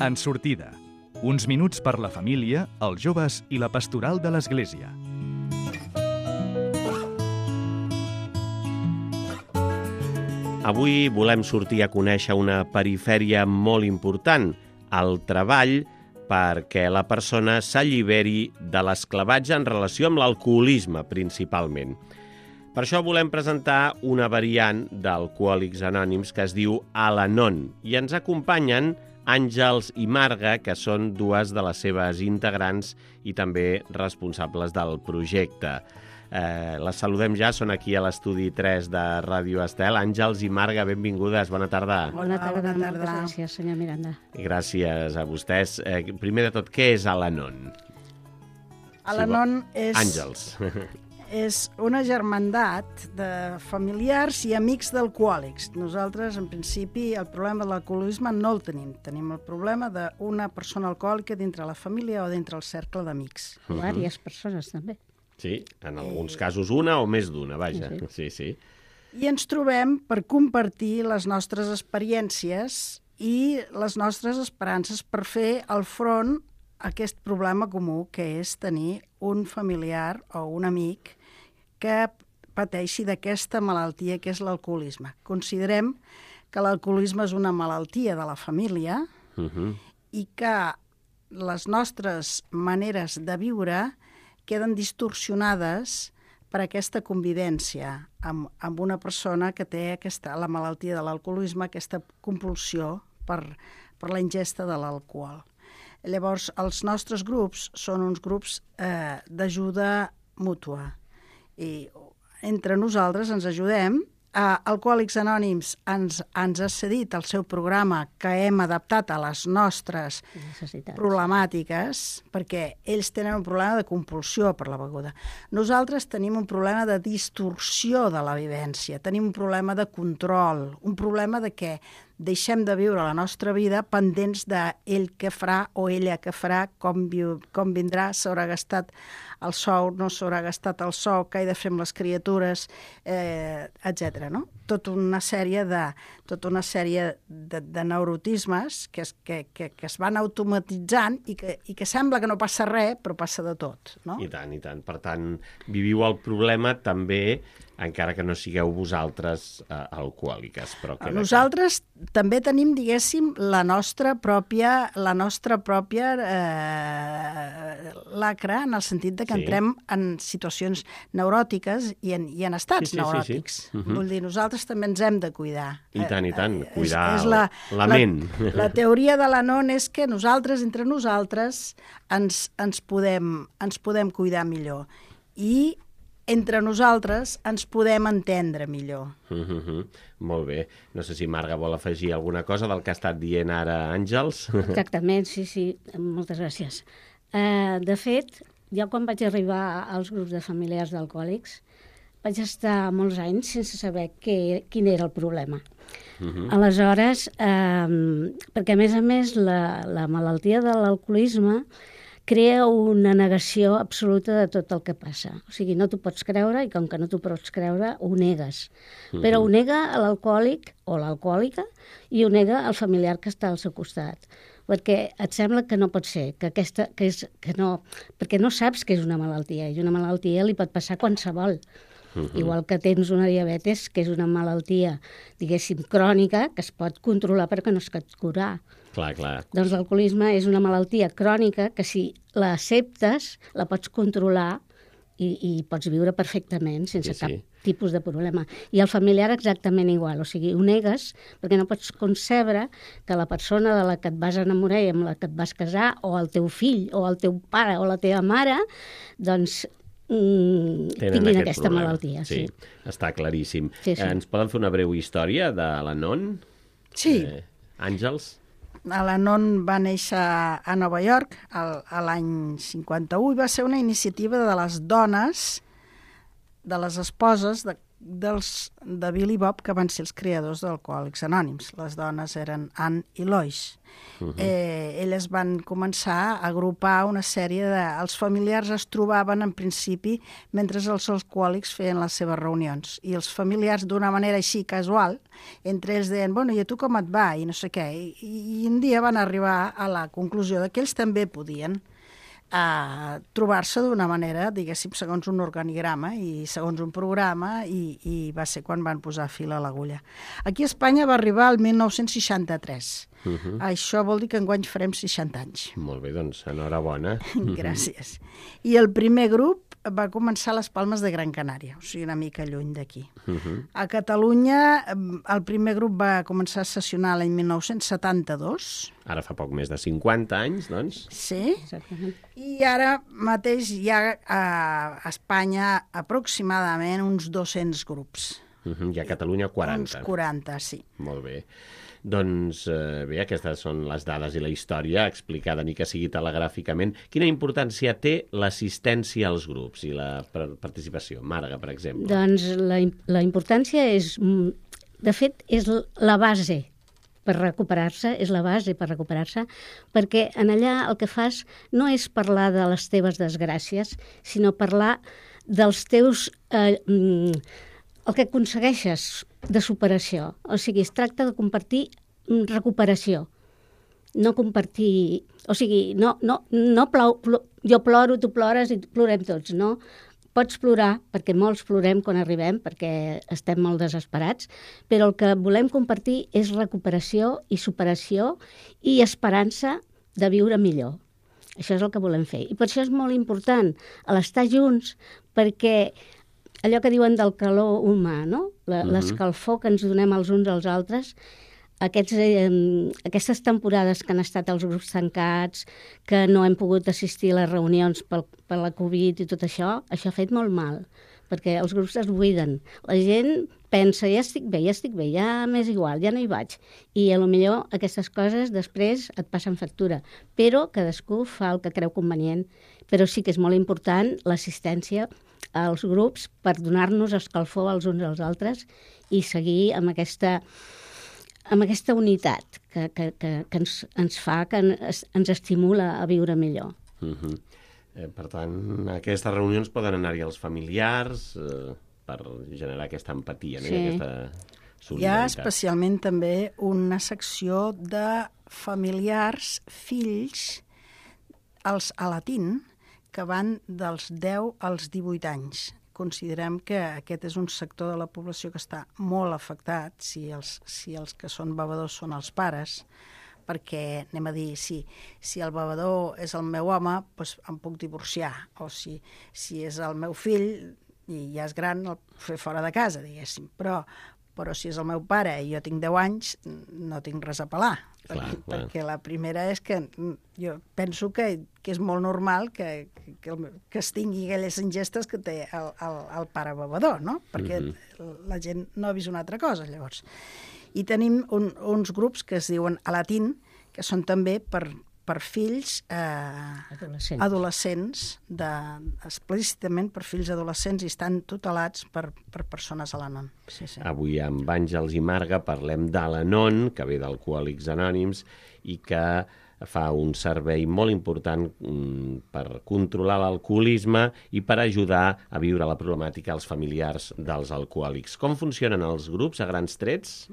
En sortida. Uns minuts per la família, els joves i la pastoral de l'Església. Avui volem sortir a conèixer una perifèria molt important, el treball, perquè la persona s'alliberi de l'esclavatge en relació amb l'alcoholisme, principalment. Per això volem presentar una variant d'Alcohòlics Anònims que es diu Al-Anon, i ens acompanyen Àngels i Marga, que són dues de les seves integrants i també responsables del projecte. Les saludem ja, són aquí a l'estudi 3 de Ràdio Estel. Àngels i Marga, benvingudes, bona tarda. Bona tarda, moltes gràcies, senyor Miranda. Gràcies a vostès. Primer de tot, què és Al-Anon? Al-Anon és... Àngels. És una germandat de familiars i amics d'alcohòlics. Nosaltres, en principi, el problema de l'alcoholisme no el tenim. Tenim el problema d'una persona alcohòlica dintre la família o dintre el cercle d'amics. Diverses persones, també. Sí, en alguns casos una o més d'una, vaja. Sí. I ens trobem per compartir les nostres experiències i les nostres esperances per fer el front a aquest problema comú, que és tenir un familiar o un amic que pateixi d'aquesta malaltia que és l'alcoholisme. Considerem que l'alcoholisme és una malaltia de la família i que les nostres maneres de viure queden distorsionades per aquesta convivència amb una persona que té la malaltia de l'alcoholisme, aquesta compulsió per la ingesta de l'alcohol. Llavors, els nostres grups són uns grups d'ajuda mútua. I entre nosaltres ens ajudem. Alcohòlics Anònims ens ha cedit el seu programa que hem adaptat a les nostres problemàtiques, perquè ells tenen un problema de compulsió per la beguda. Nosaltres tenim un problema de distorsió de la vivència, tenim un problema de control, un problema de que deixem de viure la nostra vida pendents d'ell què farà o ella què farà, com vindrà, s'haurà gastat el sou, no s'haurà gastat el sou, què he de fer amb les criatures, etc. No? Tota una sèrie de neurotismes que es van automatitzant i que sembla que no passa res, però passa de tot. No? I tant. Per tant, viviu el problema també, encara que no sigueu vosaltres alcohòliques. Però nosaltres també tenim, diguéssim, la nostra pròpia lacra, en el sentit de que entrem en situacions neuròtiques i en estats neuròtics. Vull dir, nosaltres també ens hem de cuidar. I tant, cuidar la ment. La teoria de l'Anon és que nosaltres, entre nosaltres, ens podem cuidar millor. I entre nosaltres ens podem entendre millor. Molt bé. No sé si Marga vol afegir alguna cosa del que ha estat dient ara Àngels. Exactament, sí. Moltes gràcies. De fet, jo quan vaig arribar als grups de familiars d'alcohòlics vaig estar molts anys sense saber quin era el problema. Aleshores, perquè a més la malaltia de l'alcoholisme crea una negació absoluta de tot el que passa. O sigui, no t'ho pots creure i com que no t'ho pots creure, ho negues. Però ho nega l'alcohòlic o l'alcohòlica i ho nega el familiar que està al seu costat. Perquè et sembla que no pot ser, que no, perquè no saps que és una malaltia, i una malaltia li pot passar a qualsevol. Igual que tens una diabetes, que és una malaltia, diguéssim, crònica, que es pot controlar perquè no es pot curar. Clar. Doncs l'alcoholisme és una malaltia crònica que si l'acceptes, la pots controlar i pots viure perfectament sense cap tipus de problema. I el familiar exactament igual, o sigui, ho negues perquè no pots concebre que la persona de la que et vas enamorar i amb la que et vas casar, o el teu fill, o el teu pare, o la teva mare, doncs tinguin aquesta malaltia. Sí, està claríssim. Sí. Ens poden fer una breu història de l'Anon? Sí. Àngels? L'Anon va néixer a Nova York a l'any 51 i va ser una iniciativa de les dones, de les esposes de Bill i Bob, que van ser els creadors d'Alcohòlics Anònims. Les dones eren Anne i Lois. Elles van començar a agrupar una sèrie de... Els familiars es trobaven, en principi, mentre els alcohòlics feien les seves reunions. I els familiars, d'una manera així casual, entre ells deien, bueno, i a tu com et va? I no sé què. I un dia van arribar a la conclusió que ells també podien trobar-se d'una manera, diguéssim, segons un organigrama i segons un programa, i va ser quan van posar fil a l'agulla. Aquí a Espanya va arribar el 1963. Això vol dir que enguany farem 60 anys. Molt bé, doncs, enhorabona. Gràcies. I el primer grup va començar a les Palmes de Gran Canària, o sigui, una mica lluny d'aquí. A Catalunya, el primer grup va començar a sessionar l'any 1972. Ara fa poc més de 50 anys, doncs. Sí. Exactament. I ara mateix hi ha a Espanya aproximadament uns 200 grups. I a Catalunya 40. Uns 40, sí. Molt bé. Doncs bé, aquestes són les dades i la història explicada, ni que sigui telegràficament. Quina importància té l'assistència als grups i la participació? Marga, per exemple. Doncs la importància és, de fet, és la base per recuperar-se, perquè en allà el que fas no és parlar de les teves desgràcies, sinó parlar dels teus... el que aconsegueixes de superació. O sigui, es tracta de compartir recuperació. No compartir... O sigui, jo ploro, tu plores i plorem tots, no? Pots plorar, perquè molts plorem quan arribem, perquè estem molt desesperats, però el que volem compartir és recuperació i superació i esperança de viure millor. Això és el que volem fer. I per això és molt important l'estar junts, perquè allò que diuen del calor humà, no? L'escalfor que ens donem els uns als altres, aquestes temporades que han estat els grups tancats, que no hem pogut assistir a les reunions per la Covid i tot això ha fet molt mal, perquè els grups es buiden. La gent pensa, ja estic bé, ja m'és igual, ja no hi vaig. I potser aquestes coses després et passen factura. Però cadascú fa el que creu convenient. Però sí que és molt important l'assistència als grups per donar-nos escalfor els uns als altres i seguir amb aquesta unitat que ens fa, que ens estimula a viure millor. Per tant, a aquestes reunions poden anar-hi els familiars per generar aquesta empatia, no? Sí. Aquesta solidaritat. Hi ha especialment també una secció de familiars, fills, els alatín, que van dels 10 als 18 anys. Considerem que aquest és un sector de la població que està molt afectat, si els que són bevedors són els pares, perquè, anem a dir, si el bevedor és el meu home, doncs em puc divorciar, o si és el meu fill i ja és gran, el puc fer fora de casa, diguéssim, però si és el meu pare i jo tinc 10 anys, no tinc res a pelar. Perquè la primera és que jo penso que és molt normal que es tingui aquelles ingestes que té el pare bevedor, no? Perquè la gent no ha vist una altra cosa, llavors. I tenim uns grups que es diuen alatín, que són també per fills adolescents, explícitament per fills adolescents, i estan tutelats per persones Al-Anon. Sí. Avui amb Àngels i Marga parlem d'Al-Anon, que ve d'Alcohòlics Anònims i que fa un servei molt important per controlar l'alcoholisme i per ajudar a viure la problemàtica als familiars dels alcohòlics. Com funcionen els grups a grans trets?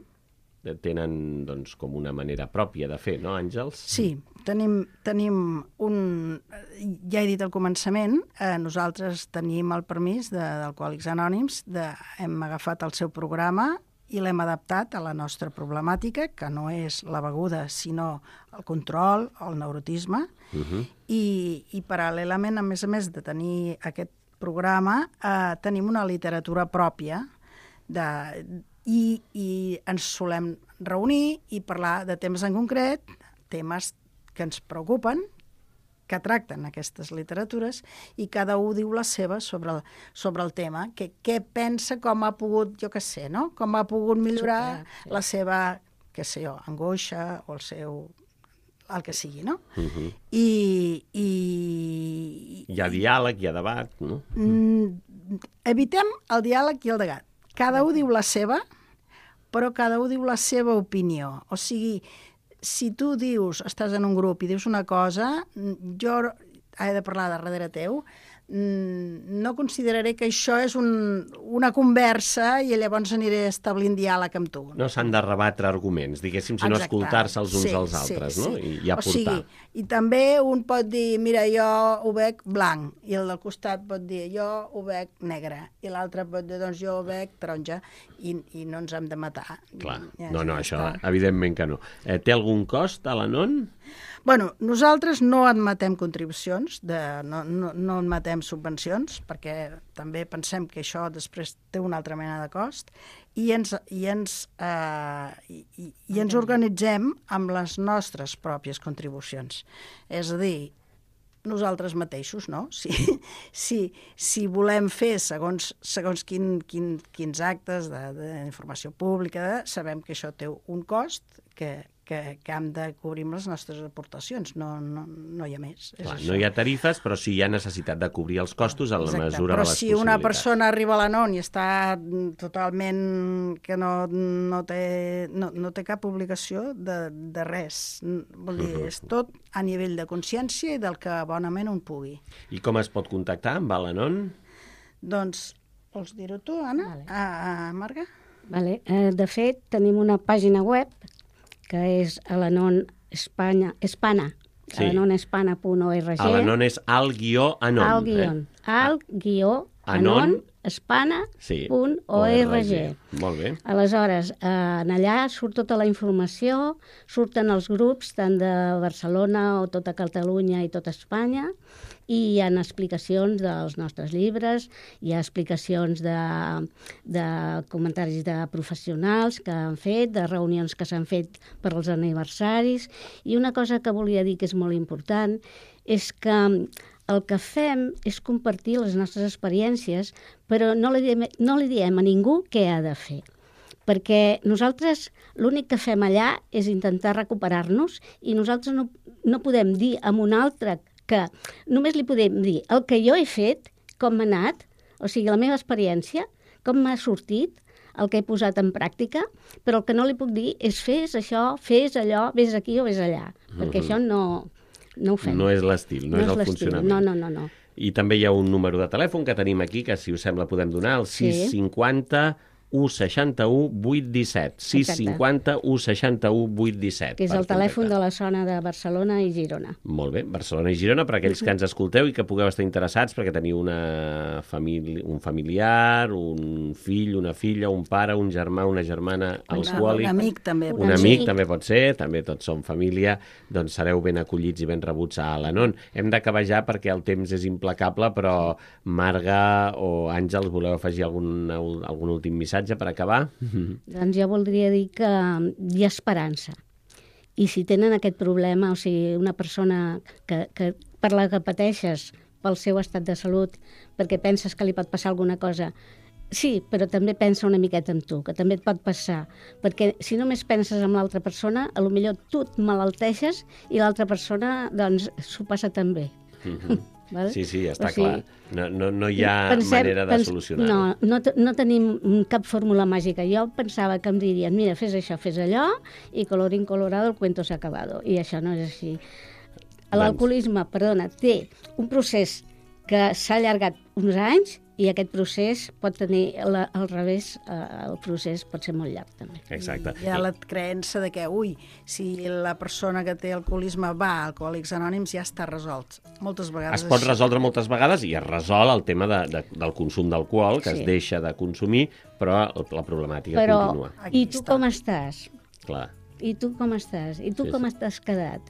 Tenen, doncs, com una manera pròpia de fer, no, Àngels? Sí, tenim ja he dit al començament, nosaltres tenim el permís d'Alcohòlics Anònims, hem agafat el seu programa i l'hem adaptat a la nostra problemàtica, que no és la beguda, sinó el control, el neurotisme, i paral·lelament, a més de tenir aquest programa, tenim una literatura pròpia i ens solem reunir i parlar de temes en concret, temes que ens preocupen, que tracten aquestes literatures, i cada un diu la seva sobre el tema, què pensa, com ha pogut, jo què sé, no? Com ha pogut millorar la seva, què sé jo, angoixa o el que sigui, no? I hi ha diàleg, hi ha debat, no? Evitem el diàleg i el debat. cada un diu la seva, però cada un diu la seva opinió. O sigui, si tu dius, estàs en un grup i dius una cosa, jo he de parlar darrere teu, no consideraré que això és una conversa i llavors aniré establint diàleg amb tu. No s'han de rebatre arguments, diguéssim, sinó escoltar-se els uns als altres, no? I aportar. O sigui, i també un pot dir, mira, jo ho veig blanc, i el del costat pot dir, jo ho veig negre, i l'altre pot dir, doncs jo ho veig taronja, i no ens hem de matar. Clar, no, això evidentment que no. Té algun cost a l'Anon? Bueno, nosaltres no admetem contribucions, no admetem subvencions, perquè també pensem que això després té una altra mena de cost, i ens organitzem amb les nostres pròpies contribucions. És a dir, nosaltres mateixos, no? Si volem fer segons quins actes d'informació pública, sabem que això té un cost que hem de cobrir amb les nostres aportacions, no hi ha més. Clar, no hi ha tarifes, però sí hi ha necessitat de cobrir els costos en la mesura de les possibilitats. Però si una persona arriba a l'Anon i està totalment que no té cap obligació de res, vol dir, és tot a nivell de consciència i del que bonament un pugui. I com es pot contactar amb l'Anon? Doncs, vols dir-ho tu, Anna? Vale. Marga? Vale. De fet, tenim una pàgina web que és Al-Anon Espanya, sí. alanonespana.org. Al-Anon és al-anon. Al-anon espana.org. Molt bé. Aleshores, en allà surt tota la informació, surten els grups tant de Barcelona o tota Catalunya i tota Espanya, i hi ha explicacions dels nostres llibres, hi ha explicacions de comentaris de professionals que han fet, de reunions que s'han fet per als aniversaris, i una cosa que volia dir que és molt important és que el que fem és compartir les nostres experiències, però no li diem a ningú què ha de fer. Perquè nosaltres l'únic que fem allà és intentar recuperar-nos i nosaltres no podem dir a un altre que només li podem dir el que jo he fet, com m'ha anat, o sigui, la meva experiència, com m'ha sortit, el que he posat en pràctica, però el que no li puc dir és fes això, fes allò, vés aquí o vés allà, perquè això no ho fem. No és l'estil, no és el funcionament. No. I també hi ha un número de telèfon que tenim aquí, que si us sembla podem donar, el 650 161 817. 650 161 817. Que és el telèfon de la zona de Barcelona i Girona. Molt bé, Barcelona i Girona, per aquells que ens escolteu i que pugueu estar interessats perquè teniu un familiar, un fill, una filla, un pare, un germà, una germana alcohòlic. Un amic també. Un amic també pot ser, també tots som família, doncs sereu ben acollits i ben rebuts a l'Anon. Hem d'acabar ja perquè el temps és implacable, però Marga o Àngels, voleu afegir algun últim missatge per acabar? Doncs jo voldria dir que hi ha esperança. I si tenen aquest problema, o sigui, una persona que per la que pateixes pel seu estat de salut, perquè penses que li pot passar alguna cosa, sí, però també pensa una miqueta en tu, que també et pot passar. Perquè si només penses en l'altra persona, potser tu et malalteixes i l'altra persona doncs s'ho passa també. Vale? Sí, està clar. No hi ha manera de solucionar-ho. No tenim cap fórmula màgica. Jo pensava que em dirien, mira, fes això, fes allò, i colorín colorado, el cuento s'ha acabado. I això no és així. L'alcoholisme, té un procés que s'ha allargat uns anys i aquest procés pot tenir, al revés, el procés pot ser molt llarg també. Exacte. Hi ha la creença de que, si la persona que té alcoholisme va a Alcohòlics Anònims ja està resolt. Moltes vegades... Es pot resoldre moltes vegades i es resol el tema del consum d'alcohol, que es deixa de consumir, però la problemàtica continua. I tu com estàs? Clar. I tu com estàs? I tu com t'has quedat?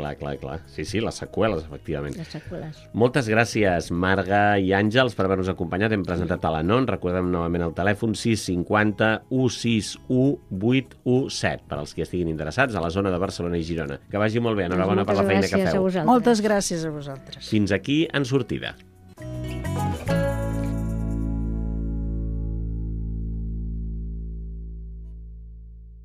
Clar. Sí, les seqüeles, efectivament. Les seqüeles. Moltes gràcies, Marga i Àngels, per haver-nos acompanyat. Hem presentat a l'Anon. Recordem novament el telèfon 650 161 817 per als que estiguin interessats a la zona de Barcelona i Girona. Que vagi molt bé. Enhorabona per la feina que feu. Moltes gràcies a vosaltres. Fins aquí En Sortida.